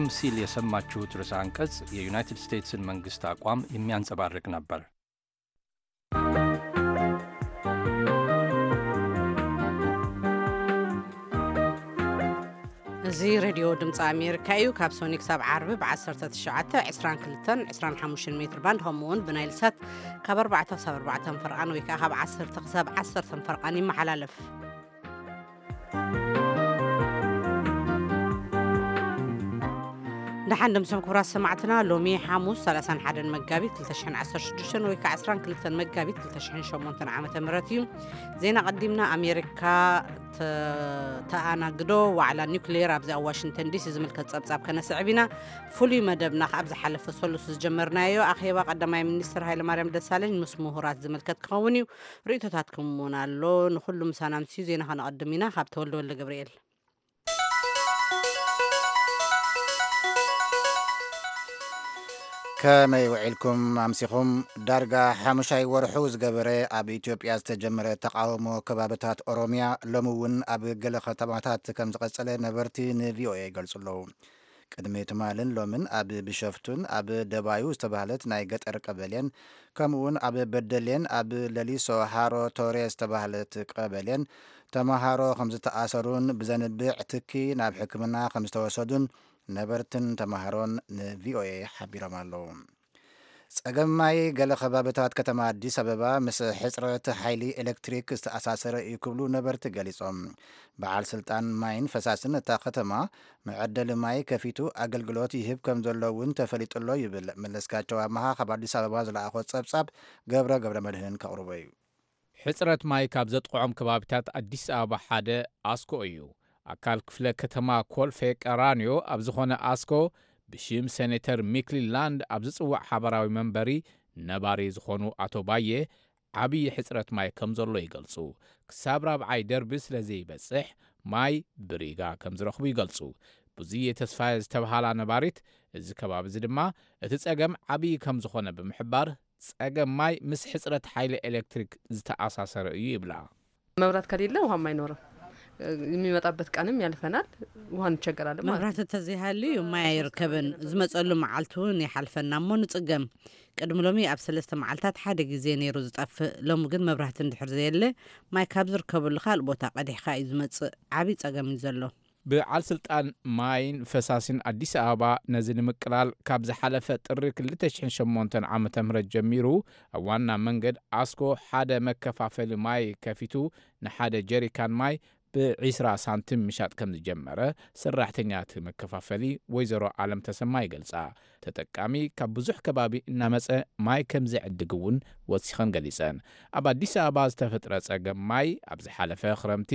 ቀደም ሲል የሰማችሁት ርዕሰ አንቀጽ የዩናይትድ ስቴትስን መንግስት አቋም የሚያንጸባርቅ ነበር። እዚ ሬድዮ ድምፂ ኣሜሪካ እዩ። ካብ ሶኒ ክሳብ ዓርቢ ብ19፣ 22፣ 25 ሜትር ባንድ፣ ከምኡ እውን ብናይል ሳት ካብ 4 ክሳብ 4 ፈርቓን ወይ ከዓ ካብ 10 ክሳብ 10 ፈርቓን ይመሓላለፍ። ደሓን ደምሶም ክቡራት ሰማዕትና፣ ሎሚ ሓሙስ 31 መጋቢት 2016 ወይ ከዓ 22 መጋቢት 2008 ዓመተ ምህረት እዩ። ዜና ቀዲምና ኣሜሪካ ተ-፣ ተኣናግዶ ዋዕላ ኒውክሌር ኣብዚ ኣብ ዋሽንግተን ዲሲ ዝምልከት ጸብጻብ ከነስዕብ ኢና። ፍሉይ መደብና ከኣ ኣብ ዝሓለፈ ሰሉስ ዝጀመርናዮ ኣኼባ ቀዳማይ ሚኒስትር ሃይለማርያም ደሳለኝ ምስ ምሁራት ዝምልከት ክኸውን እዩ። ርእይቶታትኩም እውን ኣሎ። ንኹሉ ምሳና ምስዩ ዜና ከነቐድም ኢና። ካብ ተወልደ ወልደ ገብርኤል። ከመይ ውዒልኩም ኣምሲኹም? ዳርጋ ሓሙሻይ ወርሑ ዝገበረ ኣብ ኢትዮጵያ ዝተጀመረ ተቓውሞ ከባብታት ኦሮሚያ ሎሚ እውን ኣብ ገለ ከተማታት ከም ዝቐጸለ ነበርቲ ንቪኦኤ ይገልጹ ኣለዉ። ቅድሚ ትማልን ሎምን ኣብ ቢሾፍቱን ኣብ ደባዩ ዝተባህለት ናይ ገጠር ቀበሌን ከምኡውን ኣብ በደሌን ኣብ ለሊሶ ሃሮ ቶሬ ዝተባህለት ቀበሌን ተመሃሮ ከም ዝተኣሰሩን ብዘንብዕ ትኪ ናብ ሕክምና ከም ዝተወሰዱን ነበርትን ተመሃሮን ንቪኦኤ ሓቢሮም ኣለዉ። ጸገም ማይ ገለ ከባብታት ከተማ ኣዲስ ኣበባ ምስ ሕጽረት ሓይሊ ኤሌክትሪክ ዝተኣሳሰረ እዩ ክብሉ ነበርቲ ገሊጾም። በዓል ስልጣን ማይን ፈሳስን እታ ከተማ መዐደሊ ማይ ከፊቱ ኣገልግሎት ይህብ ከም ዘሎ እውን ተፈሊጡ ኣሎ ይብል። መለስካቸው ኣመሃ ካብ ኣዲስ ኣበባ ዝለኣኾ ጸብጻብ ገብረ ገብረ መድህን ከቕርቦ እዩ። ሕጽረት ማይ ካብ ዘጥቕዖም ከባቢታት ኣዲስ ኣበባ ሓደ ኣስኮ እዩ። ኣካል ክፍለ ከተማ ኮልፌ ቀራኒዮ ኣብ ዝኾነ ኣስኮ ብሽም ሴኔተር ሚክሊ ላንድ ኣብ ዝጽዋዕ ሓባራዊ መንበሪ ነባሪ ዝኾኑ ኣቶ ባየ ዓብዪ ሕጽረት ማይ ከም ዘሎ ይገልጹ። ክሳብ ራብዓይ ደርቢ ስለ ዘይበጽሕ ማይ ብሪጋ ከም ዝረኽቡ ይገልጹ። ብዙየ ተስፋየ ዝተብሃላ ነባሪት እዚ ከባቢ እዚ ድማ እቲ ጸገም ዓብዪ ከም ዝኾነ ብምሕባር ጸገም ማይ ምስ ሕጽረት ሓይሊ ኤሌክትሪክ ዝተኣሳሰረ እዩ ይብላ። መብራት ከሌለ ውሃም አይኖርም። የሚመጣበት ቀንም ያልፈናል። ውሃ እንቸገራለን ማለት ነው። መብራት እንተዘይሃልዩ ማይ ኣይርከብን። ዝመጸሉ መዓልቲ እውን ይሓልፈና እሞ ንጽገም። ቅድሚ ሎሚ ኣብ ሰለስተ መዓልታት ሓደ ግዜ ነይሩ ዝጠፍእ። ሎሚ ግን መብራህቲ እንድሕር ዘየለ ማይ ካብ ዝርከበሉ ካልእ ቦታ ቀዲሕካ እዩ ዝመጽእ። ዓብዪ ጸገም እዩ ዘሎ። በዓል ስልጣን ማይን ፈሳሲን ኣዲስ ኣበባ ነዚ ንምቅላል ካብ ዝሓለፈ ጥሪ 2008 ዓመተ ምህረት ጀሚሩ ኣብ ዋና መንገድ ኣስኮ ሓደ መከፋፈሊ ማይ ከፊቱ ንሓደ ጀሪካን ማይ ብ20 ሳንቲም ምሻጥ ከም ዝጀመረ ሰራሕተኛ እቲ መከፋፈሊ ወይዘሮ ኣለም ተሰማ ይገልጻ። ተጠቃሚ ካብ ብዙሕ ከባቢ እናመጸ ማይ ከም ዝዕድግ እውን ወሲኸን ገሊጸን። ኣብ ኣዲስ ኣበባ ዝተፈጥረ ጸገም ማይ ኣብ ዝሓለፈ ክረምቲ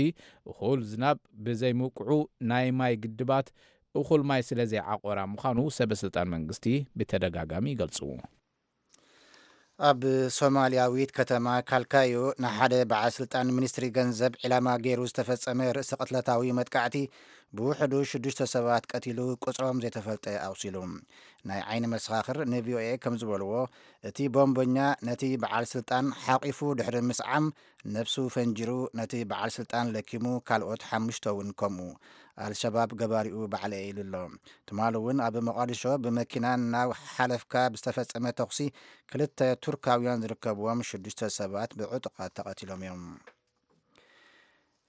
እኹል ዝናብ ብዘይምውቅዑ ናይ ማይ ግድባት እኹል ማይ ስለ ዘይዓቆራ ምዃኑ ሰበ ስልጣን መንግስቲ ብተደጋጋሚ ይገልጹ። ኣብ ሶማልያዊት ከተማ ካልካዮ ንሓደ በዓል ስልጣን ሚኒስትሪ ገንዘብ ዒላማ ገይሩ ዝተፈጸመ ርእሰ ቅትለታዊ መጥቃዕቲ ብውሕዱ ሽዱሽተ ሰባት ቀቲሉ፣ ቁጽሮም ዘይተፈልጠ ኣቑሲሉ። ናይ ዓይኒ መሰኻኽር ንቪኦኤ ከም ዝበልዎ፣ እቲ ቦምበኛ ነቲ በዓል ስልጣን ሓቒፉ ድሕሪ ምስዓም፣ ነብሱ ፈንጂሩ ነቲ በዓል ስልጣን ለኪሙ፣ ካልኦት ሓሙሽተ እውን ከምኡ። ኣልሸባብ ገባሪኡ ባዕለ ኢሉ ኣሎ። ትማሊ እውን ኣብ መቓዲሾ ብመኪና እናሓለፍካ ብዝተፈጸመ ተኹሲ ክልተ ቱርካውያን ዝርከብዎም ሽዱሽተ ሰባት ብዕጡቓት ተቐቲሎም እዮም።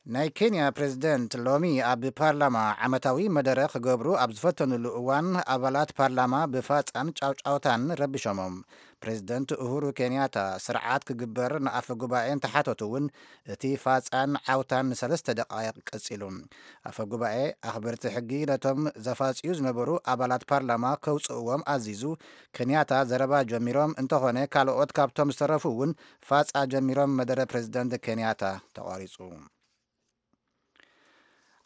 ናይ ኬንያ ፕሬዝደንት ሎሚ ኣብ ፓርላማ ዓመታዊ መደረ ክገብሩ ኣብ ዝፈተኑሉ እዋን፣ ኣባላት ፓርላማ ብፋጻን ጫውጫውታን ረቢሾሞም። ፕሬዝደንት ኡሁሩ ኬንያታ ስርዓት ክግበር ንኣፈ ጉባኤ እንተሓተቱ እውን፣ እቲ ፋጻን ዓውታን ንሰለስተ ደቃይቕ ቀጺሉ። ኣፈ ጉባኤ ኣኽበርቲ ሕጊ ነቶም ዘፋጽዩ ዝነበሩ ኣባላት ፓርላማ ከውጽእዎም ኣዚዙ። ኬንያታ ዘረባ ጀሚሮም እንተኾነ፣ ካልኦት ካብቶም ዝተረፉ እውን ፋጻ ጀሚሮም። መደረ ፕሬዝደንት ኬንያታ ተቋሪጹ።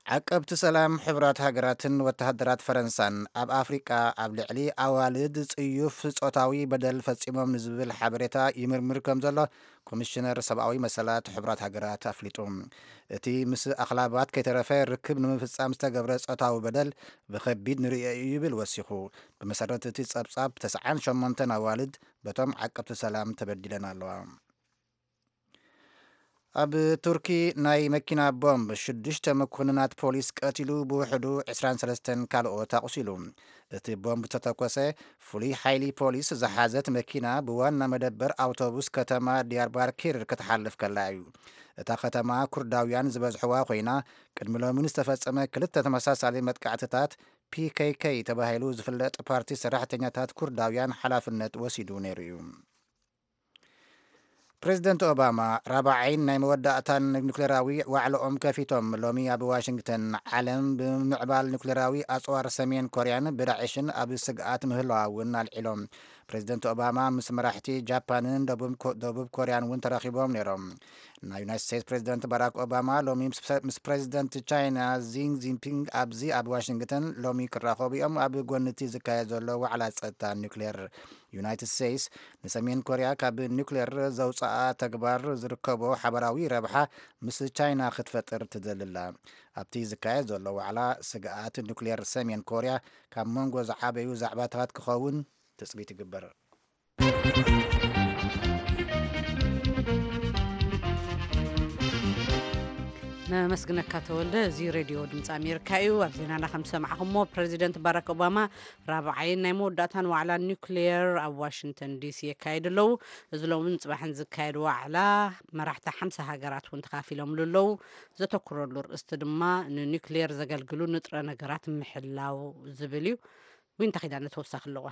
ዓቀብቲ ሰላም ሕቡራት ሃገራትን ወተሃደራት ፈረንሳን ኣብ ኣፍሪቃ ኣብ ልዕሊ ኣዋልድ ጽዩፍ ጾታዊ በደል ፈጺሞም ንዝብል ሓበሬታ ይምርምር ከም ዘሎ ኮሚሽነር ሰብኣዊ መሰላት ሕቡራት ሃገራት ኣፍሊጡ። እቲ ምስ ኣኽላባት ከይተረፈ ርክብ ንምፍጻም ዝተገብረ ጾታዊ በደል ብኸቢድ ንርእዮ እዩ ይብል ወሲኹ። ብመሰረት እቲ ጸብጻብ፣ ተስዓን ሸሞንተን ኣዋልድ በቶም ዓቀብቲ ሰላም ተበዲለን ኣለዋ። ኣብ ቱርኪ ናይ መኪና ቦምብ ሽዱሽተ መኮንናት ፖሊስ ቀቲሉ፣ ብውሕዱ ዕስራን ሰለስተን ካልኦት ኣቑሲሉ። እቲ ቦምብ ዝተተኮሰ ፍሉይ ሓይሊ ፖሊስ ዝሓዘት መኪና ብዋና መደበር ኣውቶቡስ ከተማ ዲያርባኪር ክትሓልፍ ከላ እዩ። እታ ከተማ ኩርዳውያን ዝበዝሕዋ ኮይና፣ ቅድሚ ሎሚ ንዝተፈጸመ ክልተ ተመሳሳሊ መጥቃዕትታት ፒ ኬ ኬ ተባሂሉ ዝፍለጥ ፓርቲ ሰራሕተኛታት ኩርዳውያን ሓላፍነት ወሲዱ ነይሩ እዩ። ፕሬዚደንት ኦባማ ራብዓይን ናይ መወዳእታን ኒኩሌራዊ ዋዕላኦም ከፊቶም። ሎሚ ኣብ ዋሽንግተን፣ ዓለም ብምምዕባል ኒኩሌራዊ ኣጽዋር ሰሜን ኮርያን ብዳዕሽን ኣብ ስግኣት ምህላዋ እውን ኣልዒሎም። ፕሬዚደንት ኦባማ ምስ መራሕቲ ጃፓንን ደቡብ ኮ-፣ ደቡብ ኮርያን እውን ተራኺቦም ነይሮም። ናይ ዩናይትድ ስቴትስ ፕሬዚደንት ባራክ ኦባማ ሎሚ ምስ፣ ምስ ፕሬዚደንት ቻይና ዚን ጂንፒንግ ኣብዚ ኣብ ዋሽንግተን ሎሚ ክራኸቡ እዮም። ኣብ ጎኒ እቲ ዝካየድ ዘሎ ዋዕላ ጸጥታ ኒኩሌር፣ ዩናይትድ ስቴትስ ንሰሜን ኮርያ ካብ ኒኩሌር ዘውፅኣ ተግባር ዝርከቦ ሓበራዊ ረብሓ ምስ ቻይና ክትፈጥር ትደሊ ኣላ። ኣብቲ ዝካየድ ዘሎ ዋዕላ፣ ስግኣት ኒኩሌር ሰሜን ኮርያ ካብ መንጎ ዝዓበዩ ዛዕባታት ክኸውን ትፅቢት ይግበር። ነመስግነካ ተወልደ። እዚ ሬድዮ ድምፂ ኣሜሪካ እዩ። ኣብ ዜናና ከም ዝሰማዕኹሞ፣ ፕሬዚደንት ባራክ ኦባማ ራብዓይን ናይ መወዳእታን ዋዕላ ኒውክሌር ኣብ ዋሽንግተን ዲሲ የካይዱ ኣለዉ። እዚ ሎምን ጽባሕን ዝካየድ ዋዕላ፣ መራሕቲ ሓምሳ ሃገራት እውን ተኻፊሎምሉ ኣለዉ። ዘተኩረሉ ርእስቲ ድማ ንኒውክሌር ዘገልግሉ ንጥረ ነገራት ምሕላው ዝብል እዩ። ዊንታ ኪዳነ ተወሳኺ ኣለዋ።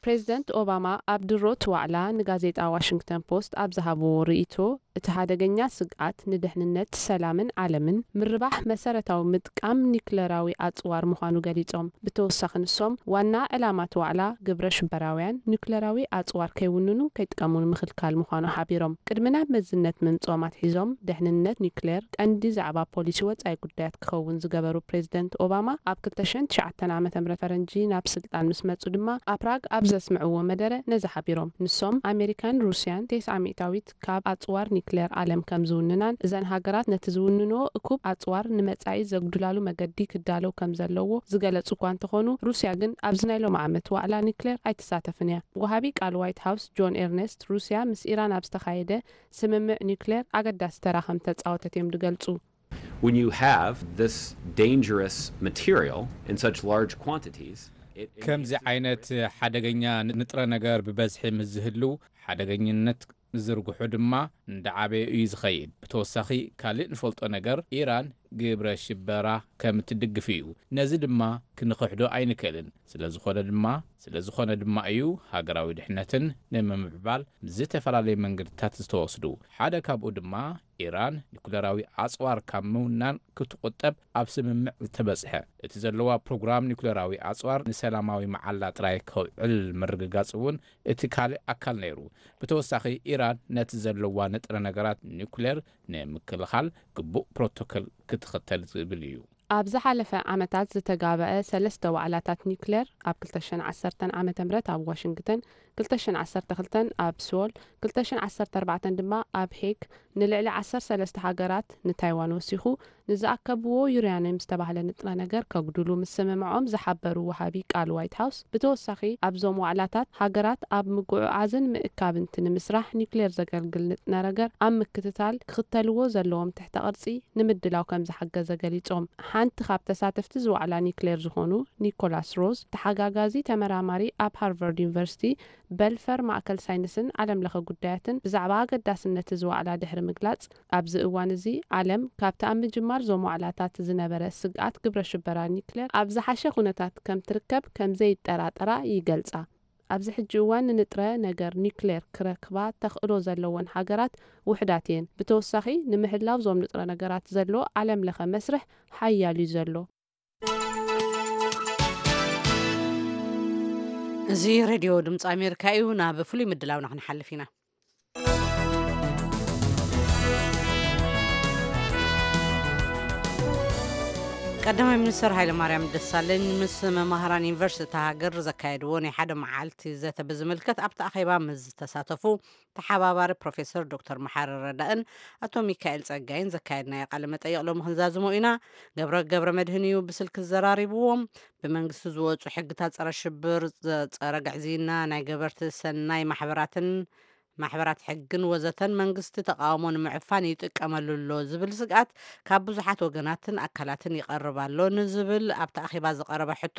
ፕሬዚደንት ኦባማ ኣብ ድሮት ዋዕላ ንጋዜጣ ዋሽንግተን ፖስት ኣብ ዝሃብዎ ርእይቶ፣ እቲ ሓደገኛ ስግኣት ንድሕንነት፣ ሰላምን ዓለምን ምርባሕ መሰረታዊ ምጥቃም ኒውክለራዊ ኣጽዋር ምዃኑ ገሊጾም። ብተወሳኺ ንሶም፣ ዋና ዕላማት ዋዕላ ግብረ ሽበራውያን ኒውክለራዊ ኣጽዋር ከይውንኑን ከይጥቀሙን ምኽልካል ምዃኑ ሓቢሮም። ቅድሚ ናብ መዝነት ምምጽኦም ኣትሒዞም፣ ድሕንነት ኒውክሌር ቀንዲ ዛዕባ ፖሊሲ ወጻኢ ጉዳያት ክኸውን ዝገበሩ ፕሬዚደንት ኦባማ፣ ኣብ ክልተ ሽሕን ትሽዓተን ዓመተ ምህረት ፈረንጂ ናብ ስልጣን ምስ መጹ ድማ፣ ኣብ ፕራግ ኣብ ዘስምዕዎ መደረ ነዚ ሓቢሮም። ንሶም፣ ኣሜሪካን ሩስያን ተስዓ ሚእታዊት ካብ ኣጽዋር ኒውክሌር ዓለም ከም ዝውንናን፣ እዘን ሃገራት ነቲ ዝውንንኦ እኩብ ኣጽዋር ንመጻኢ ዘጉድላሉ መገዲ ክዳለው ከም ዘለዎ ዝገለጹ እኳ እንተኾኑ፣ ሩስያ ግን ኣብዚ ናይ ሎሚ ዓመት ዋዕላ ኒውክሌር ኣይትሳተፍን እያ። ወሃቢ ቃል ዋይት ሃውስ ጆን ኤርነስት፣ ሩስያ ምስ ኢራን ኣብ ዝተኻየደ ስምምዕ ኒውክሌር ኣገዳሲ ተራ ከም ተጻወተት እዮም ዝገልጹ። When you have this dangerous material in such large quantities, it, it ከምዚ ዓይነት ሓደገኛ ንጥረ ነገር ብበዝሒ ምስ ዝህልው፣ ሓደገኝነት ዝርግሑ ድማ እንዳዓበየ እዩ ዝኸይድ። ብተወሳኺ፣ ካልእ ንፈልጦ ነገር፣ ኢራን ግብረ ሽበራ ከም እትድግፍ እዩ። ነዚ ድማ ክንኽሕዶ ኣይንክእልን። ስለ ዝኾነ ድማ፣ ስለ ዝኾነ ድማ እዩ ሃገራዊ ድሕነትን ንምምዕባል ዝተፈላለዩ መንገድታት ዝተወስዱ። ሓደ ካብኡ ድማ፣ ኢራን ኒኩለራዊ ኣጽዋር ካብ ምውናን ክትቁጠብ ኣብ ስምምዕ ዝተበጽሐ። እቲ ዘለዋ ፕሮግራም ኒኩለራዊ ኣጽዋር ንሰላማዊ መዓላ ጥራይ ከውዕል ምርግጋጽ እውን እቲ ካልእ ኣካል ነይሩ። ብተወሳኺ፣ ኢራን ነቲ ዘለዋ ንጥረ ነገራት ኒኩሌር ንምክልኻል ግቡእ ፕሮቶኮል ክትኽተል ዝብል እዩ። ኣብ ዝሓለፈ ዓመታት ዝተጋበአ ሰለስተ ዋዕላታት ኒኩሌር፣ ኣብ ክልተ ሽሕን ዓሰርተን ዓመተ ምህረት ኣብ ዋሽንግተን፣ ክልተ ሽሕን ዓሰርተ ክልተን ኣብ ሶል፣ ክልተ ሽሕን ዓሰርተ ኣርባዕተን ድማ ኣብ ሄግ፣ ንልዕሊ ዓሰርተ ሰለስተ ሃገራት፣ ንታይዋን ወሲኹ፣ ንዝኣከብዎ ዩራኒየም ዝተባህለ ንጥረ ነገር ከጉድሉ ምስምምዖም ዝሓበሩ ወሃቢ ቃል ዋይት ሃውስ፣ ብተወሳኺ ኣብዞም ዋዕላታት ሃገራት ኣብ ምጉዕዓዝን ምእካብን እቲ ንምስራሕ ኒውክሌር ዘገልግል ንጥረ ነገር ኣብ ምክትታል ክኽተልዎ ዘለዎም ትሕተ ቅርጺ ንምድላው ከም ዝሓገዘ ገሊጾም። ሓንቲ ካብ ተሳተፍቲ ዝዋዕላ ኒውክሌር ዝኾኑ ኒኮላስ ሮዝ፣ ተሓጋጋዚ ተመራማሪ ኣብ ሃርቫርድ ዩኒቨርሲቲ በልፈር ማእከል ሳይንስን ዓለም ለኸ ጉዳያትን፣ ብዛዕባ ኣገዳስነት እዚ ዋዕላ ድሕሪ ምግላጽ፣ ኣብዚ እዋን እዚ ዓለም ካብቲ ኣብ ምጅማር እዞም ዋዕላታት ዝነበረ ስግኣት ግብረ ሽበራ ኒክሌር ኣብ ዝሓሸ ኩነታት ከም ትርከብ ከም ዘይጠራጠራ ይገልጻ። ኣብዚ ሕጂ እዋን ንንጥረ ነገር ኒክሌር ክረክባ ተኽእሎ ዘለወን ሃገራት ውሑዳት እየን። ብተወሳኺ፣ ንምሕላው እዞም ንጥረ ነገራት ዘሎ ዓለም ለኸ መስርሕ ሓያል እዩ ዘሎ። እዚ ሬድዮ ድምፂ ኣሜሪካ እዩ። ናብ ፍሉይ ምድላውና ክንሓልፍ ኢና። ቀዳማይ ሚኒስትር ሃይለማርያም ደሳለኝ ምስ መማህራን ዩኒቨርሲቲ እታ ሃገር ዘካየድዎ ናይ ሓደ መዓልቲ ዘተ ብዝምልከት ኣብቲ ኣኼባ ምስ ዝተሳተፉ ተሓባባሪ ፕሮፌሰር ዶክተር መሓሪ ረዳእን ኣቶ ሚካኤል ጸጋይን ዘካየድናዮ ቃለ መጠይቕ ሎሚ ክንዛዝሞ ኢና። ገብረ ገብረ መድህን እዩ ብስልኪ ዘራሪብዎም። ብመንግስቲ ዝወጹ ሕግታት ጸረ ሽብር፣ ዘ-፣ ጸረ ግዕዝይና፣ ናይ ገበርቲ ሰናይ ማሕበራትን ማሕበራት ሕግን ወዘተን መንግስቲ ተቓውሞ ንምዕፋን ይጥቀመሉ ኣሎ ዝብል ስግኣት ካብ ብዙሓት ወገናትን ኣካላትን ይቐርብ ኣሎ ንዝብል ኣብቲ ኣኼባ ዝቐረበ ሕቶ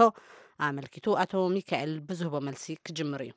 ኣመልኪቱ ኣቶ ሚካኤል ብዝህቦ መልሲ ክጅምር እዩ።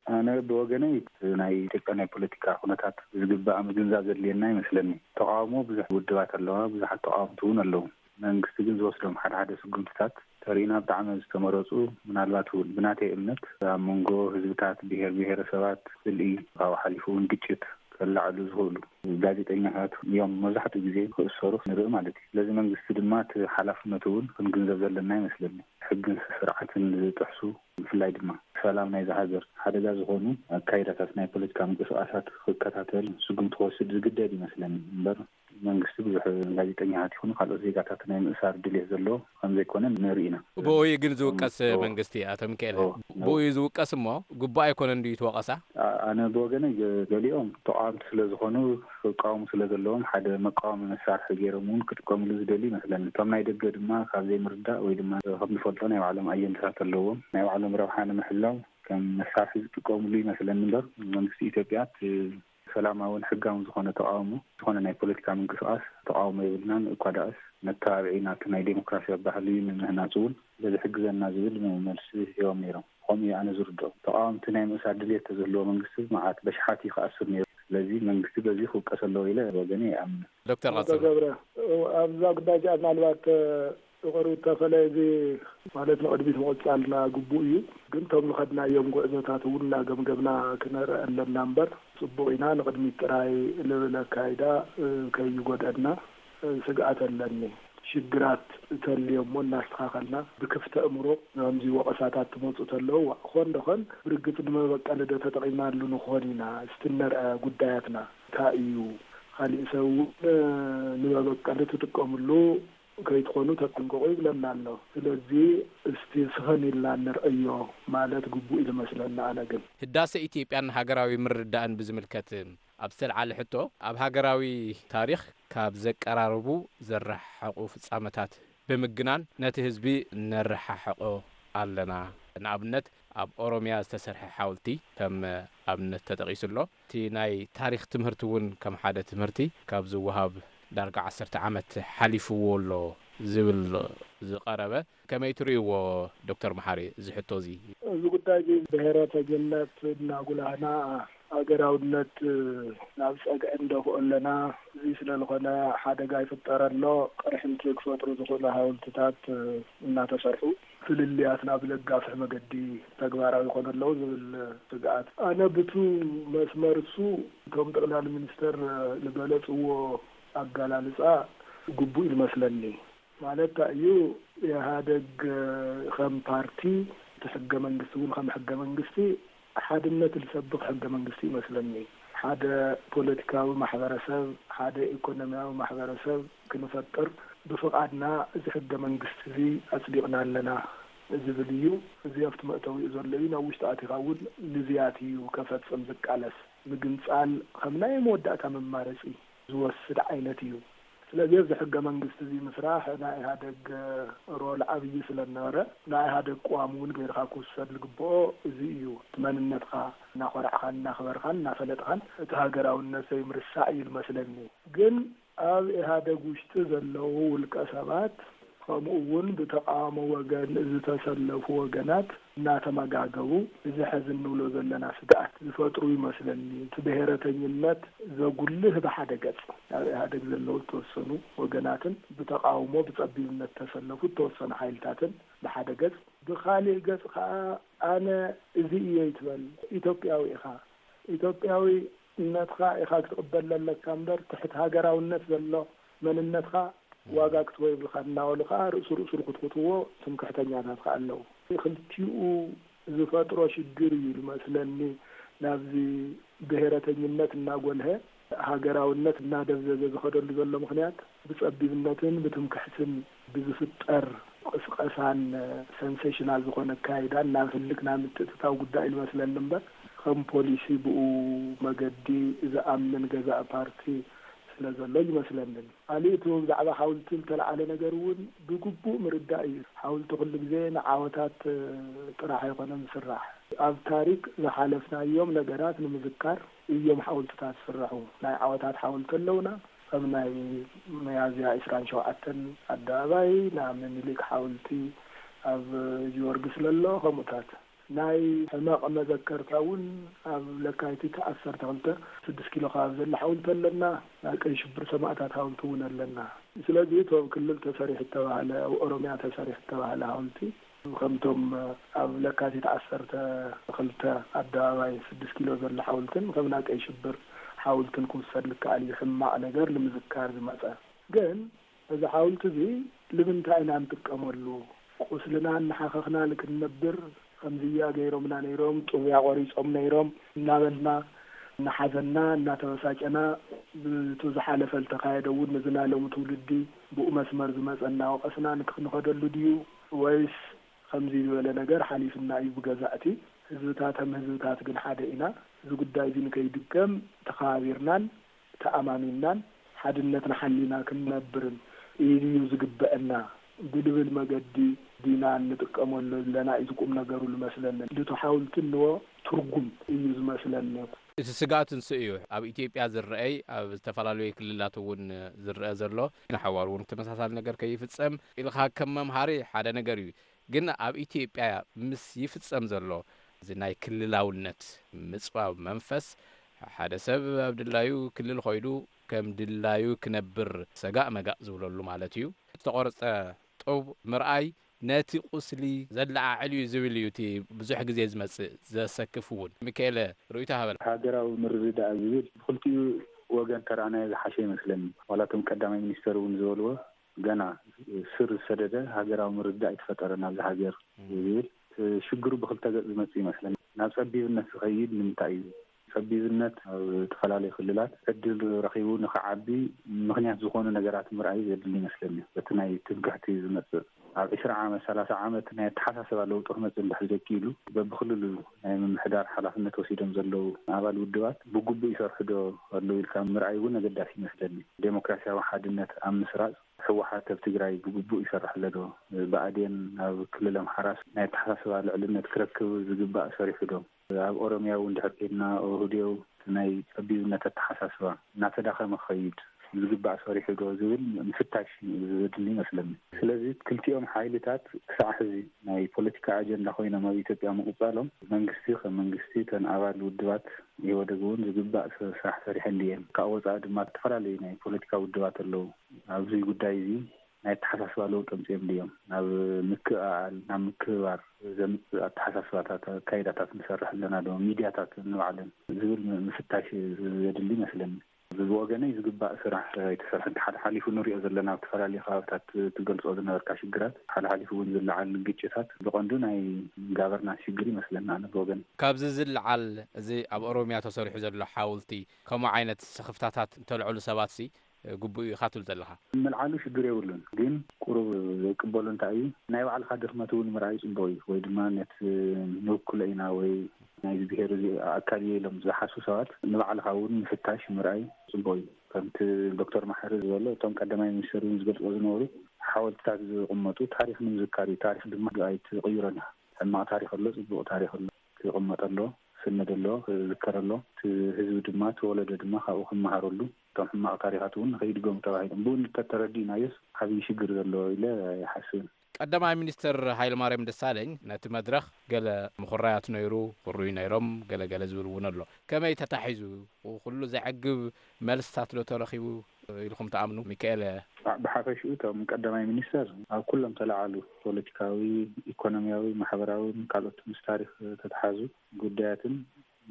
ኣነ ብወገነይ ናይ ኢትዮጵያ ናይ ፖለቲካ ኩነታት ዝግባእ ምግንዛብ ዘድልየና ይመስለኒ። ተቓውሞ ብዙሕ ውድባት ኣለዋ፣ ብዙሓት ተቓወምቲ እውን ኣለዉ። መንግስቲ ግን ዝወስዶም ሓደ ሓደ ስጉምትታት ተሪእና ብጣዕሚ ዝተመረፁ፣ ምናልባት እውን ብናተይ እምነት ኣብ መንጎ ህዝብታት፣ ብሄር ብሄረሰባት ስልኢ፣ ካብኡ ሓሊፉ እውን ግጭት ከላዕሉ ዝኽእሉ ጋዜጠኛታት እዮም መብዛሕትኡ ግዜ ክእሰሩ ንርኢ ማለት እዩ። ስለዚ መንግስቲ ድማ እቲ ሓላፍነቱ እውን ክንግንዘብ ዘለና ይመስለኒ። ሕግን ስርዓትን ዝጥሕሱ፣ ብፍላይ ድማ ሰላም ናይዛ ሃገር ሓደጋ ዝኾኑ ኣካይዳታት ናይ ፖለቲካ ምንቅስቃሳት ክከታተል ስጉምቲ ክወስድ ዝግደድ ይመስለኒ እምበር መንግስቲ ብዙሕ ጋዜጠኛታት ይኹኑ ካልኦት ዜጋታት ናይ ምእሳር ድሌት ዘለዎ ከም ዘይኮነ ንርኢ ኢና። ብኡ እዩ ግን ዝውቀስ መንግስቲ፣ ኣቶ ሚካኤል። ብኡ እዩ ዝውቀስ እሞ ግቡእ ኣይኮነን ድዩ እቲ ወቐሳ? ኣነ ብወገነይ ገሊኦም ተቃወምቲ ስለ ዝኾኑ ክቃወሙ ስለ ዘለዎም ሓደ መቃወሚ መሳርሒ ገይሮም እውን ክጥቀምሉ ዝደልዩ ይመስለኒ። እቶም ናይ ደገ ድማ ካብ ዘይምርዳእ ወይ ድማ ከም ንፈልጦ ናይ ባዕሎም ኣጀንዳታት ኣለዎም። ናይ ባዕሎም ረብሓ ንምሕላው ከም መሳርሒ ዝጥቀምሉ ይመስለኒ እምበር መንግስቲ ኢትዮጵያ እቲ ሰላማውን ሕጋውን ዝኾነ ተቃውሞ ዝኾነ ናይ ፖለቲካ ምንቅስቃስ ተቃውሞ የብልናን እኳ ደኣስ መተባብዒ ናብቲ ናይ ዴሞክራሲያዊ ባህሊ ንምህናፅ እውን ስለዝሕግዘና ዝብል መልሲ ሂቦም ነይሮም። ከምኡ እዩ ኣነ ዝርድኦ። ተቃወምቲ ናይ ምእሳር ድልየት ተዝህልዎ መንግስቲ መዓት በሽሓት እዩ ክኣስር ነይሩ። ስለዚ መንግስቲ በዚ ክውቀስ ኣለዎ ኢለ ወገነ ይኣምን። ዶክተር ቀፅሉ። ገብረ ኣብዛ ጉዳይ እዚኣ ምናልባት ብቐርቡ እተፈለየ እዚ ማለት ንቕድሚት ምቕፃልና ግቡእ እዩ። ግን እቶም ዝኸድናዮም ጉዕዞታት እውን እናገምገምና ክነርኢ ኣለና እምበር ፅቡቕ ኢና ንቕድሚት ጥራይ ልብል ኣካይዳ ከይጎድአና ስግኣት ኣለኒ። ሽግራት ተልዮ እሞ እናስተኻኸልና ብክፍቲ ኣእምሮ ናምዚ ወቐሳታት ትመፁ ተለዉ ክኾን ዶኾን ብርግፅ ንመበቀሊ ዶ ተጠቒምናሉ ንኾን ኢና እስቲ ነርአ ጉዳያትና እንታይ እዩ ካሊእ ሰብ እውን ንመበቀሊ ትጥቀምሉ ከይትኾኑ ተጠንቀቑ ይብለና ኣሎ። ስለዚ እስቲ ስኸን ኢልና ንርአዮ ማለት ግቡእ እዩ ዝመስለኒ ኣነ ግን። ህዳሰ ኢትዮጵያን ሃገራዊ ምርድዳእን ብዝምልከት ኣብ ዝተልዓለ ሕቶ ኣብ ሃገራዊ ታሪኽ ካብ ዘቀራርቡ ዘረሓሓቑ ፍጻመታት ብምግናን ነቲ ህዝቢ ነረሓሕቖ ኣለና። ንኣብነት ኣብ ኦሮሚያ ዝተሰርሐ ሓወልቲ ከም ኣብነት ተጠቒሱ ኣሎ። እቲ ናይ ታሪኽ ትምህርቲ እውን ከም ሓደ ትምህርቲ ካብ ዝወሃብ ዳርጋ ዓሰርተ ዓመት ሓሊፍዎ ኣሎ ዝብል ዝቐረበ ከመይ ትርእይዎ ዶክተር መሓሪ እዚ ሕቶ እዚ? እዚ ጉዳይ እዚ ብሄረተኝነት እናጉላህና ሃገራውነት ናብ ፀግዒ ንደፍኦ ኣለና። እዚ ስለ ዝኾነ ሓደጋ ይፍጠር ኣሎ። ቅርሕንቲ ክፈጥሩ ዝኽእሉ ሃውልትታት እናተሰርሑ ፍልልያትና ብለጋፍሕ መገዲ ተግባራዊ ይኾኑ ኣለዉ ዝብል ስግኣት ኣነ ብቱ መስመር እሱ እቶም ጠቕላሊ ሚኒስተር ዝገለፅዎ ኣገላልፃ ግቡእ እዩ ዝመስለኒ። ማለት እንታይ እዩ ኢህኣደግ ከም ፓርቲ እቲ ሕገ መንግስቲ እውን ከም ሕገ መንግስቲ ሓድነት ዝሰብኽ ሕገ መንግስቲ ይመስለኒ። ሓደ ፖለቲካዊ ማሕበረሰብ፣ ሓደ ኢኮኖሚያዊ ማሕበረሰብ ክንፈጥር ብፍቓድና እዚ ሕገ መንግስቲ እዚ ኣፅዲቕና ኣለና ዝብል እዩ። እዚ ኣብቲ መእተዊኡ ዘሎ እዩ። ናብ ውሽጢ ኣቲኻ እውን ንዝያት እዩ ከፈፅም ዝቃለስ። ምግንፃል ከም ናይ መወዳእታ መማረፂ ዝወስድ ዓይነት እዩ። ስለዚ ኣብዚ ሕገ መንግስቲ እዚ ምስራሕ ናይ ኢህኣደግ ሮል ዓብዪ ስለ ዝነበረ ናይ ኢህኣደግ ቅዋም እውን ገይርካ ክውሰድ ዝግብኦ እዚ እዩ። እቲ መንነትካ እናኾራዕኻን እናኽበርካን እናፈለጥካን እቲ ሃገራውነት ዘይምርሳዕ እዩ ዝመስለኒ። ግን ኣብ ኢህኣደግ ውሽጢ ዘለዉ ውልቀ ሰባት ከምኡ እውን ብተቃውሞ ወገን ዝተሰለፉ ወገናት እናተመጋገቡ እዚ ሕዚ እንብሎ ዘለና ስግኣት ዝፈጥሩ ይመስለኒ። እቲ ብሄረተኝነት ዘጉልህ ብሓደ ገፅ ኣብ ኢህኣደግ ዘለዉ ዝተወሰኑ ወገናትን ብተቃውሞ ብፀቢብነት ዝተሰለፉ ዝተወሰኑ ሓይልታትን ብሓደ ገፅ፣ ብካሊእ ገፅ ከዓ ኣነ እዚ እየ ይትበል ኢትዮጵያዊ ኢኻ ኢትዮጵያዊ ነትኻ ኢኻ ክትቕበል ዘለካ እምበር ትሕቲ ሃገራውነት ዘሎ መንነትኻ ዋጋ ክትቦ የብልካ እናበሉ ከዓ ርእሱ ርእሱ ዝኹትኩትዎ ትምክሕተኛታት ከዓ ኣለዉ። ክልቲኡ ዝፈጥሮ ሽግር እዩ ዝመስለኒ ናብዚ ብሄረተኝነት እናጎልሀ ሃገራውነት እናደብዘዘ ዝኸደሉ ዘሎ ምኽንያት ብፀቢብነትን ብትምክሕትን ብዝፍጠር ቅስቀሳን ሰንሴሽናል ዝኾነ ኣካይዳን ናብ ህልክ ናብ ምትእትታው ጉዳይ እዩ ዝመስለኒ እምበር ከም ፖሊሲ ብኡ መገዲ ዝኣምን ገዛኢ ፓርቲ ስለ ዘሎ ይመስለንን። ካሊእ እቲ ብዛዕባ ሓውልቲ ዝተለዓለ ነገር እውን ብግቡእ ምርዳእ እዩ። ሓውልቲ ኩሉ ግዜ ንዓወታት ጥራሕ ኣይኮነን ዝስራሕ። ኣብ ታሪክ ዝሓለፍናዮም ነገራት ንምዝካር እዮም ሓውልትታት ዝስርሑ። ናይ ዓወታት ሓውልቲ ኣለውና። ከም ናይ መያዝያ ዕስራን ሸውዓተን ኣደባባይ፣ ናይ ምኒልክ ሓውልቲ ኣብ ጊዮርጊስ ለሎ፣ ከምኡታት ናይ ሕመቕ መዘከርታ እውን ኣብ ለካቲት ዓሰርተ ክልተ ስድስት ኪሎ ከባቢ ዘሎ ሓውልቲ ኣለና። ናይ ቀይ ሽብር ሰማእታት ሓውልቲ እውን ኣለና። ስለዚ እቶም ክልል ተሰሪሑ እተባህለ፣ ኣብ ኦሮምያ ተሰሪሑ እተባህለ ሓውልቲ ከምቶም ኣብ ለካቲት ዓሰርተ ክልተ ኣደባባይ ስድስት ኪሎ ዘሎ ሓውልትን ከም ናይ ቀይ ሽብር ሓውልትን ክውሰድ ዝከኣል እዩ። ሕማቕ ነገር ንምዝካር ዝመጸ ግን እዚ ሓውልቲ እዚ ንምንታይ ኢና ንጥቀመሉ? ቁስልና እናሓኸኽና ንክንነብር ከምዚያ ገይሮምና ነይሮም፣ ጥሙያ ቆሪጾም ነይሮም እናበልና እናሓዘና እናተበሳጨና ብቱ ዝሓለፈ ዝተኻየደ እውን ነዚ ናይ ሎሚ ትውልዲ ብኡ መስመር ዝመጸ እናወቐስና ንክ-፣ ንኸደሉ ድዩ? ወይስ ከምዚ ዝበለ ነገር ሓሊፍና እዩ ብገዛእቲ ህዝብታት ከም ህዝብታት ግን ሓደ ኢና። እዚ ጉዳይ እዚ ንከይድገም ተኸባቢርናን ተኣማሚንናን ሓድነትና ሓሊና ክንነብርን እዩ ዝግበአና ብልብል መገዲ ዲና እንጥቀመሉ ኣለና እዩ ቁም ነገሩ ዝመስለኒ። ልቱ ሓውልቲ እንዎ ትርጉም እዩ ዝመስለኒ። እቲ ስግኣት ንሱ እዩ። ኣብ ኢትዮጵያ ዝረአይ ኣብ ዝተፈላለዩ ክልላት እውን ዝረአ ዘሎ ንሓዋሩ እውን ተመሳሳሊ ነገር ከይፍጸም ኢልካ ከም መምሃሪ ሓደ ነገር እዩ። ግን ኣብ ኢትዮጵያ ምስ ይፍጸም ዘሎ እዚ ናይ ክልላውነት ምጽባብ መንፈስ ሓደ ሰብ ኣብ ድላዩ ክልል ኾይዱ ከም ድላዩ ክነብር ሰጋእ መጋእ ዝብለሉ ማለት እዩ። ዝተቖርጸ ጡብ ምርኣይ ነቲ ቁስሊ ዘለዓዕል እዩ ዝብል እዩ እቲ ብዙሕ ግዜ ዝመጽእ ዘሰክፍ እውን። ሚካኤለ ርእይቶ ሃበና። ሃገራዊ ምርድዳእ ዝብል ብክልቲኡ ወገን ተረኣናዮ ዝሓሸ ይመስለኒ። ዋላ እቶም ቀዳማይ ሚኒስተር እውን ዝበልዎ ገና ስር ዝሰደደ ሃገራዊ ምርድዳእ ኣይተፈጠረን ኣብዚ ሃገር ዝብል ሽግሩ ብክልተ ገጽ ዝመጽእ ይመስለኒ። ናብ ጸቢብነት ዝኸይድ ንምንታይ እዩ? ጸቢብነት ኣብ ዝተፈላለዩ ክልላት ዕድል ረኺቡ ንኽዓቢ ምኽንያት ዝኾኑ ነገራት ምርኣይ ዘድሊ ይመስለኒ። በቲ ናይ ትምክሕቲ ዝመጽእ ኣብ ዕስራ ዓመት፣ ሰላሳ ዓመት ናይ ኣተሓሳስባ ለውጢ ክመጽእ እንድሕር ዘይክኢሉ፣ በብክልሉ ናይ ምምሕዳር ሓላፍነት ወሲዶም ዘለዉ ኣባል ውድባት ብግቡእ ይሰርሑ ዶ ኣለዉ ኢልካ ምርኣይ እውን ኣገዳሲ ይመስለኒ። ዴሞክራሲያዊ ሓድነት ኣብ ምስራጽ ህወሓት ኣብ ትግራይ ብግቡእ ይሰርሕ ኣሎ ዶ? ብኣዴን ኣብ ክልል ኣምሓራስ ናይ ኣተሓሳስባ ልዕልነት ክረክብ ዝግባእ ሰሪሑ ዶ? ኣብ ኦሮምያ እውን ድሕር ከይድና ኦህዴው ናይ ጸቢብነት ኣተሓሳስባ እናተዳኸመ ክኸይድ ዝግባእ ሰሪሑ ዶ ዝብል ምፍታሽ ዘድሊ ይመስለኒ። ስለዚ ክልቲኦም ሓይልታት ክሳዕ ሕዚ ናይ ፖለቲካ ኣጀንዳ ኮይኖም ኣብ ኢትዮጵያ ምቕጻሎም መንግስቲ ከም መንግስቲ እተን ኣባል ውድባት ኢህወደግ እውን ዝግባእ ስ-፣ ስራሕ ሰሪሐን ድየን? ካብ ወጻኢ ድማ ዝተፈላለዩ ናይ ፖለቲካ ውድባት ኣለዉ። ኣብዚ ጉዳይ እዚ ናይ ኣተሓሳስባ ለውጢ ኣምጺኦም ድዮም? ናብ ምክእኣል፣ ናብ ምክብባር ዘምጽእ ኣተሓሳስባታት፣ ኣካይዳታት ንሰርሕ ኣለና ዶ? ሚድያታት ንባዕለን ዝብል ም-፣ ምፍታሽ ዘድሊ ይመስለኒ። እዚ ብወገነይ ዝግባእ ስራሕ ኣይተሰርሐን። ሓደ ሓሊፉ ንሪኦ ዘለና ኣብ ዝተፈላለዩ ከባብታት ትገልጾ ዝነበርካ ሽግራት፣ ሓደ ሓሊፉ እውን ዝለዓል ግጭታት ብቐንዱ ናይ ጋቨርናንስ ሽግር ይመስለና ኣነ ብወገን። ካብዚ ዝለዓል እዚ ኣብ ኦሮምያ ተሰሪሑ ዘሎ ሓውልቲ ከምኡ ዓይነት ስኽፍታታት እንተልዕሉ ሰባት ሲ ግቡእ እዩ ኢኻ ትብል ዘለኻ? ምልዓሉ ሽግር የብሉን፣ ግን ቁሩብ ዘይቅበሉ እንታይ እዩ፣ ናይ ባዕልኻ ድኽመት እውን ምርኣይ ጽቡቕ እዩ። ወይ ድማ ነቲ ንውክሎ ኢና ወይ ናይዚ ብሄር እዚ ኣካል እየ ኢሎም ዝሓስቡ ሰባት ንባዕልኻ እውን ምፍታሽ ምርኣይ ጽቡቕ እዩ። ከምቲ ዶክተር መሓሪ ዝበሎ፣ እቶም ቀዳማይ ሚኒስትር እውን ዝገልጽዎ ዝነበሩ፣ ሓወልትታት ዝቕመጡ ታሪኽ ንምዝካር እዩ። ታሪኽ ድማ ኣይትቕይሮን ኢኻ። ሕማቕ ታሪኽ ኣሎ፣ ጽቡቕ ታሪኽ ኣሎ፣ ክቕመጥ ኣሎ፣ ክስነድ ኣሎ፣ ክዝከር ኣሎ። እቲ ህዝቢ ድማ፣ እቲ ወለዶ ድማ ካብኡ ክመሃረሉ፣ እቶም ሕማቕ ታሪኻት እውን ንኸይድገሙ ተባሂሎም ብኡ እንተተረዲእናዮስ ዓብዪ ሽግር ዘሎ ኢለ ኣይሓስብን። ቀዳማይ ሚኒስትር ሃይለማርያም ደሳለኝ ነቲ መድረኽ ገለ ምኹራያት ነይሩ፣ ክርዩ ነይሮም፣ ገለ ገለ ዝብል እውን ኣሎ። ከመይ ተታሒዙ? ኩሉ ዘዕግብ መልስታት ዶ ተረኺቡ ኢልኩም ትኣምኑ? ሚካኤል። ብ-፣ ብሓፈሽኡ እቶም ቀዳማይ ሚኒስተር ኣብ ኩሎም ተለዓሉ ፖለቲካዊ፣ ኢኮኖሚያዊ፣ ማሕበራውን ካልኦት ምስ ታሪኽ ተተሓዙ ጉዳያትን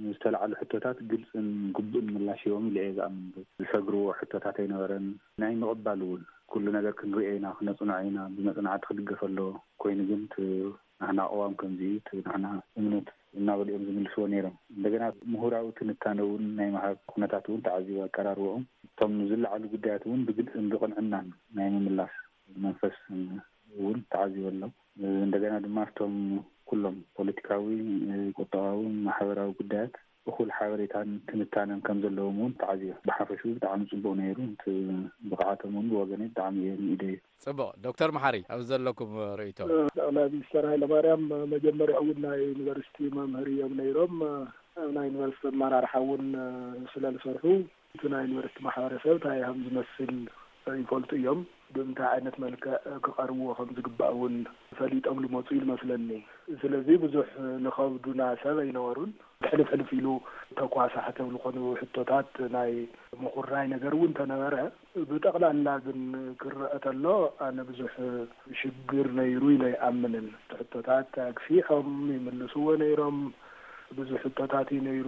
ዝተለዓሉ ሕቶታት ግልጽን ግቡእን ምላሽ ሂቦም ኢለ እየ ዝኣምን። ዝሰግርዎ ሕቶታት ኣይነበረን። ናይ ምቕባል እውን ኩሉ ነገር ክንሪኦ ኢና፣ ክነጽንዖ ኢና፣ ብመጽናዕቲ ክድገፍ ኣለዎ። ኮይኑ ግን እቲ ናህና ቅዋም ከምዚ እዩ፣ እቲ ናህና እምነት እናበሉ እዮም ዝምልስዎ ነይሮም። እንደገና ምሁራዊ ትንታነ እውን ናይ ምሃብ ኩነታት እውን ተዓዚቡ ኣቀራርቦኦም። እቶም ዝለዓሉ ጉዳያት እውን ብግልጽን ብቕንዕናን ናይ ምምላስ መንፈስ እውን ተዓዚቡ ኣሎ። እንደገና ድማ እቶም ኩሎም ፖለቲካዊ፣ ቁጠባዊ፣ ማሕበራዊ ጉዳያት እኹል ሓበሬታን ትንታነን ከም ዘለዎም እውን ተዓዚበ። ብሓፈሹ ብጣዕሚ ጽቡቕ ነይሩ። እቲ ብቕዓቶም እውን ብወገነይ ብጣዕሚ እየ ንኢደዮ። ጽቡቕ። ዶክተር መሓሪ፣ ኣብ ዘለኩም ርእይቶ? ጠቕላይ ሚኒስተር ሃይለማርያም መጀመርያ እውን ናይ ዩኒቨርሲቲ መምህር እዮም ነይሮም። ኣብ ናይ ዩኒቨርሲቲ ኣመራርሓ እውን ስለ ዝሰርሑ፣ እቲ ናይ ዩኒቨርሲቲ ማሕበረሰብ እንታይ ከም ዝመስል ይፈልጡ እዮም። ብምንታይ ዓይነት መልክዕ ክቐርብዎ ከም ዝግባእ እውን ፈሊጦም ዝመፁ እዩ ዝመስለኒ። ስለዚ ብዙሕ ንኸብዱና ሰብ ኣይነበሩን። ሕልፍ ሕልፍ ኢሉ ተኳሳሕቲ ኣብ ዝኾኑ ሕቶታት ናይ ምኹራይ ነገር እውን ተነበረ። ብጠቕላላ ግን ክረአ ተሎ ኣነ ብዙሕ ሽግር ነይሩ ኢለ ይኣምንን። ሕቶታት ኣግፊሖም ይምልስዎ ነይሮም። ብዙሕ ሕቶታት እዩ ነይሩ።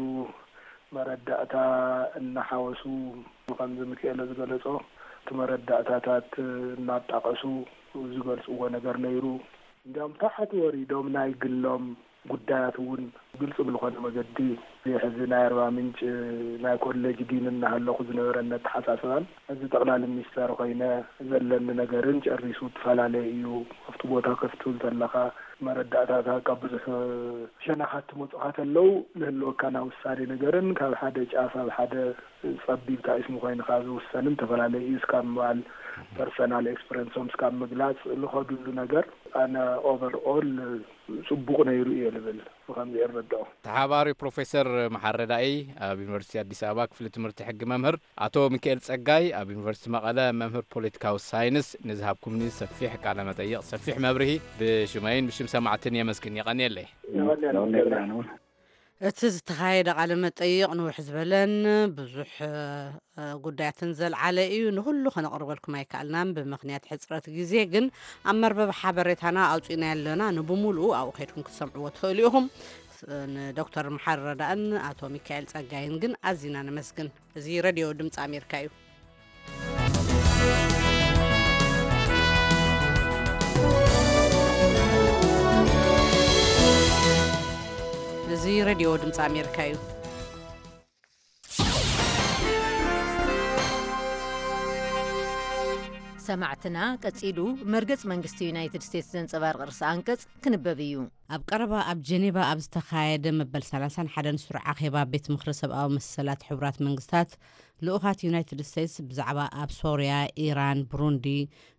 መረዳእታ እናሓወሱ፣ ከምዚ ሚካኤለ ዝገለጾ፣ እቲ መረዳእታታት እናጣቐሱ ዝገልጽዎ ነገር ነይሩ። እንዲያውም ታሕቲ ወሪዶም ናይ ግሎም ጉዳያት እውን ግልጽ ብዝኾነ መገዲ፣ እዚ ሕዚ ናይ ኣርባ ምንጭ ናይ ኮሌጅ ዲን እናሃለኹ ዝነበረኒ ኣተሓሳስባን፣ እዚ ጠቕላሊ ሚኒስተር ኮይነ ዘለኒ ነገርን ጨሪሱ እትፈላለየ እዩ። ኣብቲ ቦታ ክትብል ተለኻ፣ መረዳእታታት ካብ ብዙሕ ሸነኻት ትመፁኻ ተለው፣ ዝህልወካ ናይ ውሳኔ ነገርን ካብ ሓደ ጫፍ ኣብ ሓደ ጸቢብ ታኢስሙ ኮይንካ ዝውሰንን ተፈላለዩ እዩ። እስካብ ምባል፣ ፐርሰናል ኤክስፐረንሶም እስካብ ምግላጽ ዝኸዱሉ ነገር፣ ኣነ ኦቨር ኦል ጽቡቕ ነይሩ እየ ልብል፣ ብኸምዚ እየ ዝረድኦ። ተሓባሪ ፕሮፌሰር መሓሪ ረዳኢ፣ ኣብ ዩኒቨርሲቲ ኣዲስ ኣበባ ክፍሊ ትምህርቲ ሕጊ መምህር፣ ኣቶ ሚካኤል ጸጋይ፣ ኣብ ዩኒቨርሲቲ መቐለ መምህር ፖለቲካዊ ሳይንስ፣ ንዝሃብኩምኒ ሰፊሕ ቃለ መጠይቕ፣ ሰፊሕ መብርሂ ብሽመይን ብሽም ሰማዕትን የመስግን። የቐንየለይ። የቐንየልና። እቲ ዝተኻየደ ቃለ መጠይቕ ንውሕ ዝበለን ብዙሕ፣ እ፣ ጉዳያትን ዘልዓለ እዩ። ንኹሉ ከነቕርበልኩም ኣይከኣልናን ብምኽንያት ሕጽረት ግዜ፣ ግን ኣብ መርበብ ሓበሬታና ኣውጺእናዮ ኣለና። ንብሙሉኡ ኣብኡ ከይድኩም ክትሰምዕዎ ትኽእሉ ኢኹም። ስ-፣ ንዶክተር መሓሪ ረዳእን ኣቶ ሚካኤል ጸጋይን ግን ኣዚና ነመስግን። እዚ ሬድዮ ድምጺ ኣሜሪካ እዩ። እዚ ሬድዮ ድምፂ ኣሜሪካ እዩ። ሰማዕትና፣ ቀጺሉ መርገጽ መንግስቲ ዩናይትድ ስቴትስ ዘንጸባርቕ ርእሰ ኣንቀጽ ክንበብ እዩ። ኣብ ቀረባ ኣብ ጀኔቫ ኣብ ዝተኻየደ መበል ሰላሳን ሓደን ስሩዕ ኣኼባ ቤት ምኽሪ ሰብኣዊ መሰላት ሕቡራት መንግስታት፣ ልኡኻት ዩናይትድ ስቴትስ ብዛዕባ ኣብ ሶርያ፣ ኢራን፣ ብሩንዲ፣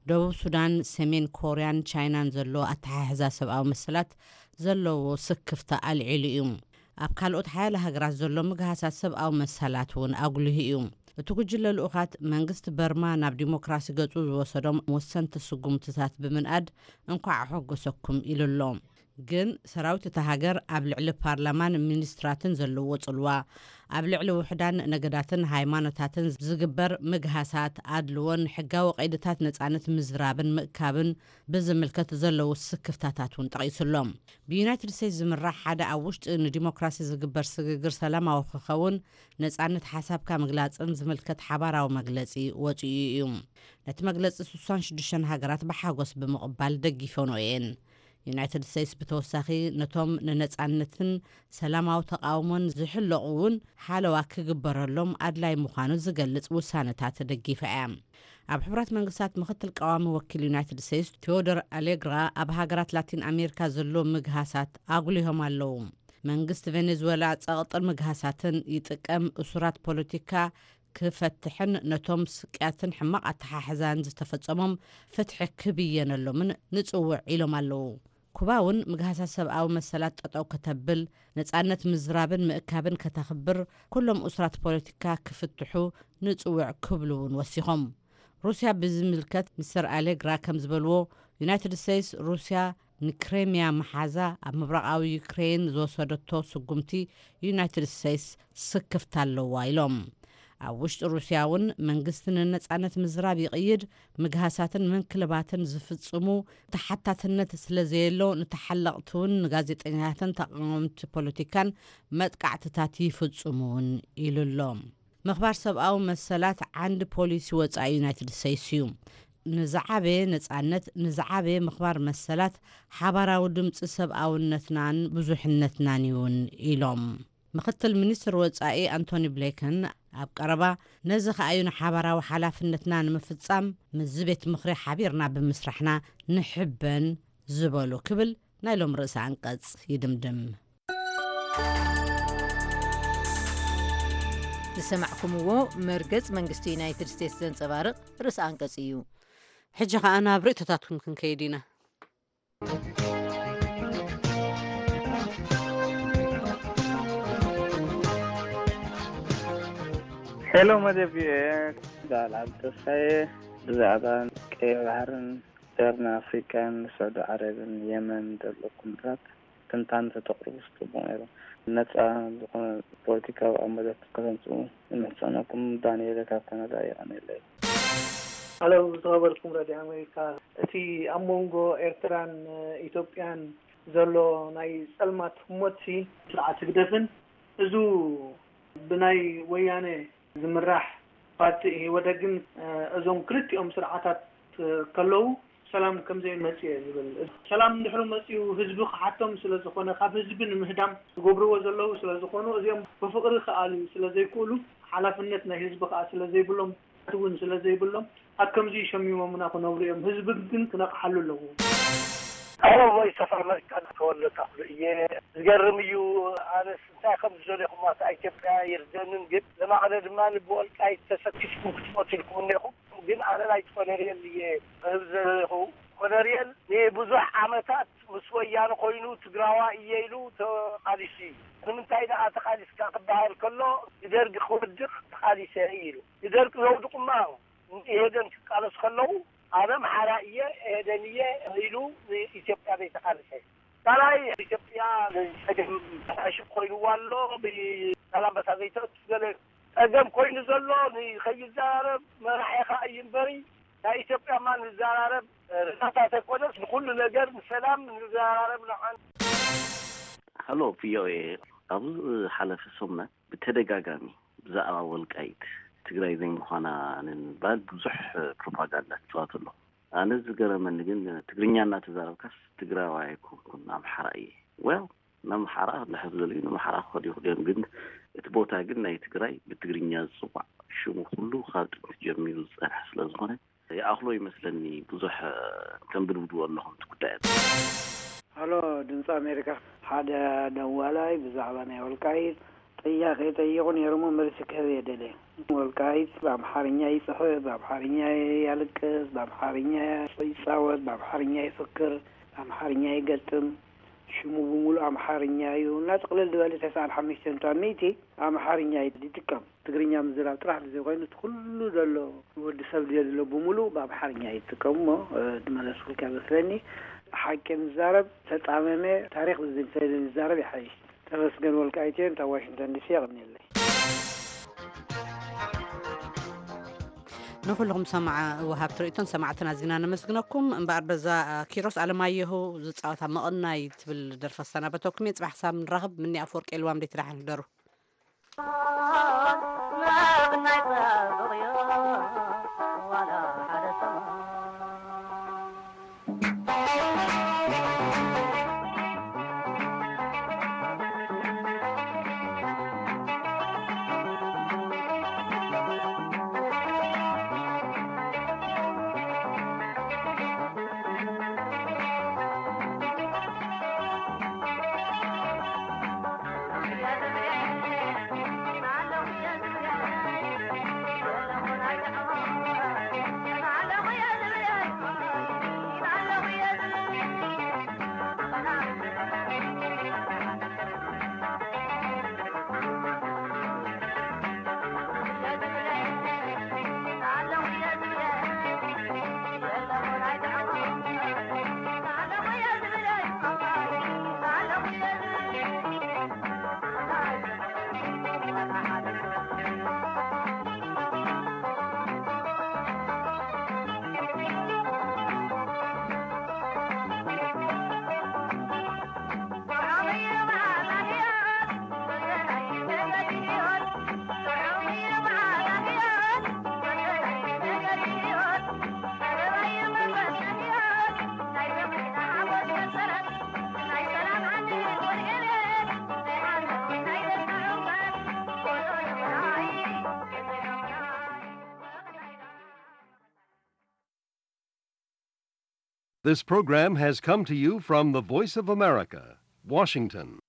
ደቡብ ሱዳን፣ ሰሜን ኮርያን ቻይናን ዘሎ ኣተሓሕዛ ሰብኣዊ መሰላት ዘለዎ ስክፍታ ኣልዒሉ እዩ። ኣብ ካልኦት ሓያለ ሃገራት ዘሎ ምግሃሳት ሰብኣዊ መሰላት እውን ኣጉሊሁ እዩ። እቲ ጉጅለ ልኡኻት፣ መንግስቲ በርማ ናብ ዲሞክራሲ ገጹ ዝወሰዶም ወሰንቲ ስጉምትታት ብምንኣድ፣ እንኳዕ ኣሐጎሰኩም ኢሉ ኣሎ። ግን ሰራዊት እታ ሃገር ኣብ ልዕሊ ፓርላማን ሚኒስትራትን ዘለዎ ጽልዋ፣ ኣብ ልዕሊ ውሑዳን ነገዳትን ሃይማኖታትን ዝግበር ምግሃሳት፣ ኣድልዎን ሕጋዊ ቀይድታት ነጻነት ምዝራብን ምእካብን ብዝምልከት ዘለዉ ስክፍታታት እውን ጠቒሱ ኣሎ። ብዩናይትድ ስቴትስ ዝምራሕ ሓደ ኣብ ውሽጢ ንዲሞክራሲ ዝግበር ስግግር ሰላማዊ ክኸውን፣ ነጻነት ሓሳብካ ምግላጽን ዝምልከት ሓባራዊ መግለጺ ወጺኡ እዩ። ነቲ መግለጺ ስሳን ሽዱሽተን ሃገራት ብሓጎስ ብምቕባል ደጊፈንኦ እየን። ዩናይትድ ስቴትስ ብተወሳኺ ነቶም ንነጻነትን ሰላማዊ ተቓውሞን ዝሕለቑ እውን ሓለዋ ክግበረሎም ኣድላይ ምዃኑ ዝገልጽ ውሳነታት ደጊፋ እያ። ኣብ ሕቡራት መንግስታት ምኽትል ቀዋሚ ወኪል ዩናይትድ ስቴትስ ቴዎዶር ኣሌግራ፣ ኣብ ሃገራት ላቲን ኣሜሪካ ዘሎ ምግሃሳት ኣጉሊሆም ኣለዉ። መንግስቲ ቬኔዙዌላ ጸቕጥን ምግሃሳትን ይጥቀም፣ እሱራት ፖለቲካ ክፈትሕን ነቶም ስቅያትን ሕማቕ ኣተሓሕዛን ዝተፈጸሞም ፍትሒ ክብየነሎምን ንጽውዕ ኢሎም ኣለዉ። ኩባ እውን ምግሃሳት ሰብኣዊ መሰላት ጠጠው ከተብል፣ ነጻነት ምዝራብን ምእካብን ከተኽብር፣ ኩሎም እሱራት ፖለቲካ ክፍትሑ ንጽውዕ ክብሉ እውን ወሲኾም። ሩስያ ብዝምልከት ሚስተር ኣሌግራ ከም ዝበልዎ፣ ዩናይትድ ስቴትስ ሩስያ ንክሬምያ መሓዛ ኣብ ምብራቓዊ ዩክሬን ዝወሰደቶ ስጉምቲ ዩናይትድ ስቴትስ ስክፍታ ኣለዋ ኢሎም። ኣብ ውሽጢ ሩስያ እውን መንግስቲ ንነጻነት ምዝራብ ይቕይድ፣ ምግሃሳትን ምንክልባትን ዝፍጽሙ ተሓታትነት ስለ ዘየሎ፣ ንተሓለቕቲ እውን ንጋዜጠኛታትን ተቓወምቲ ፖለቲካን መጥቃዕትታት ይፍጽሙ እውን ኢሉ ኣሎ። ምኽባር ሰብኣዊ መሰላት ዓንዲ ፖሊሲ ወጻኢ ዩናይትድ ስቴትስ እዩ። ንዝዓበየ ነጻነት፣ ንዝዓበየ ምኽባር መሰላት ሓባራዊ ድምፂ ሰብኣውነትናን ብዙሕነትናን እዩን ኢሎም። ምኽትል ሚኒስትር ወጻኢ ኣንቶኒ ብሌክን ኣብ ቀረባ፣ ነዚ ከኣ እዩ ንሓባራዊ ሓላፍነትና ንምፍጻም ምስዚ ቤት ምኽሪ ሓቢርና ብምስራሕና ንሕበን ዝበሉ ክብል ናይ ሎም ርእሰ ኣንቀጽ ይድምድም። ዝሰማዕኩምዎ መርገጽ መንግስቲ ዩናይትድ ስቴትስ ዘንጸባርቕ ርእሰ ኣንቀጽ እዩ። ሕጂ ኸኣ ናብ ርእይቶታትኩም ክንከይድ ኢና። ሄሎ መደብ ቪኦኤ፣ በዓል ዓብዲ ተስፋዬ፣ ብዛዕባ ቀይ ባሕርን ቀርኒ ኣፍሪቃን ስዑዲ ዓረብን የመን ዘሎ ኩነታት ትንታነ ተተቕርቡስ ጽቡቕ ነይሩ። ነጻ ዝኾነ ፖለቲካዊ ኣመዛት ከተምጽኡ ንምሕጸነኩም። ዳንኤል ካብ ካናዳ። የቐንየለይ። ሄሎ፣ ዝተኸበርኩም ሬድዮ ኣሜሪካ፣ እቲ ኣብ መንጎ ኤርትራን ኢትዮጵያን ዘሎ ናይ ጸልማት ህሞትሲ ስርዓት ህግደፍን እዙ ብናይ ወያነ ዝምራሕ ፓርቲ ኢህወደግን እዞም ክልቲኦም ስርዓታት ከለዉ ሰላም ከምዘይመጽእ እየ ዝብል። ሰላም እንድሕሪ መጽኡ ህዝቢ ክሓቶም ስለ ዝኾነ ካብ ህዝቢ ንምህዳም ዝገብርዎ ዘለዉ ስለ ዝኾኑ እዚኦም ብፍቕሪ ክኣልዩ ስለ ዘይክእሉ ሓላፍነት ናይ ህዝቢ ከኣ ስለ ዘይብሎም እውን ስለ ዘይብሎም ኣብ ከምዚ ሸሚሞምና ክነብሩ እዮም። ህዝቢ ግን ክነቕሓሉ ኣለዎ። ኣዎ ቮይስ ኦፍ ኣመሪካ ተወልደ ተኽሉ እየ። ዝገርም እዩ። ኣነስ እንታይ ከም ዝደለኹም ኣታ ኢትዮጵያ ይርደንን ግን ለማዕለ ድማ ብወልቃይት ተሰኪስኩም ክትሞቱ ኢልኩም እኔኹም። ግን ኣነ ናይ ቆነርየል እየ ክህብ ዘለኹ። ቆነርየል ንብዙሕ ዓመታት ምስ ወያነ ኮይኑ ትግራዋ እየ ኢሉ ተቓሊሱ እዩ። ንምንታይ ደኣ ተቓሊስካ ክበሃል ከሎ ንደርጊ ክወድቕ ተቓሊሰ ኢሉ። ንደርጊ ዘውድቑማ ኢህዴን ክቃለሱ ከለዉ ኣነ ኣምሓራ እየ ኢህዴን እየ ኢሉ ንኢትዮጵያ ዘይተቓለሰ። ካልኣይ ኢትዮጵያ ንፀገም ተዕሽብ ኮይንዋ ኣሎ። ብዛላምበሳ ዘይተእቱ ገለ ፀገም ኮይኑ ዘሎ ንኸይዛረብ መራሒ ኸዓ እዩ እምበሪ ናይ ኢትዮጵያ ማ ንዘራረብ ርዳታ ተኮነስ ንኩሉ ነገር ንሰላም ንዘራረብ ንዓን ሃሎ ቪኦኤ፣ ኣብዚ ዝሓለፈ ሰሙናት ብተደጋጋሚ ብዛዕባ ወልቃይት ትግራይ ዘይምዃና ንምባል ብዙሕ ፕሮፓጋንዳ ትፅዋት ኣሎ። ኣነ ዝገረመኒ ግን ትግርኛ እናተዛረብካስ ትግራዋይ ኣይኮንኩን ኣምሓራ እየ። ዌል ንኣምሓራ ልሕዝ ደልዩ ንኣምሓራ ክኸዱ ይኽእሉ እዮም፣ ግን እቲ ቦታ ግን ናይ ትግራይ ብትግርኛ ዝፅዋዕ ሽሙ ኩሉ ካብ ጥንቲ ጀሚሩ ዝፀንሐ ስለ ዝኾነ ይኣኽሎ ይመስለኒ ብዙሕ ተንብድብድዎ ኣለኹም እቲ ጉዳያት። ሃሎ ድምፂ ኣሜሪካ፣ ሓደ ደዋላይ ብዛዕባ ናይ ወልቃይት ጥያቄ ጠይቑ ነይሩ እሞ መልሲ ክህብ እየ ደልየ። ወልቃይት ብኣምሓርኛ ይፅሕፍ፣ ብኣምሓርኛ ያልቅስ፣ ብኣምሓርኛ ይፃወት፣ ብኣምሓርኛ ይፍክር፣ ብኣምሓርኛ ይገጥም። ሽሙ ብምሉእ ኣምሓርኛ እዩ እና ጥቕልል ዝበለ ተስዓን ሓሙሽተን ነጥቢ ሓሙሽተ ኣምሓርኛ ይጥቀም። ትግርኛ ምዝራብ ጥራሕ ዘይኮይኑ እቲ ኩሉ ዘሎ ወዲ ሰብ ድዮ ዘሎ ብምሉእ ብኣምሓርኛ ይጥቀም እሞ ድመለስኩልካ መስለኒ። ሓቂ ንዛረብ ተጣመመ ታሪክ ዝዝንተ ንዛረብ ይሓይሽ። ተመስገን ወልቃይቴ እንታ ዋሽንግተን ዲሲ የቕንየለይ። ንኩልኹም ሰማዓ ወሃብቲ ርእቶን ሰማዕትን ኣዚና ነመስግነኩም። እምበኣር በዛ ኪሮስ ኣለማየሁ ዝፃወታ መቐናይ ትብል ደርፈ ሰናበተኩም እየ። ፅባሕ ክሳብ ንራኸብ ምኒ ኣፍወርቂ የልዋም ደይ ትዳሓን ህደሩ። This program has come to you from the Voice of America, Washington.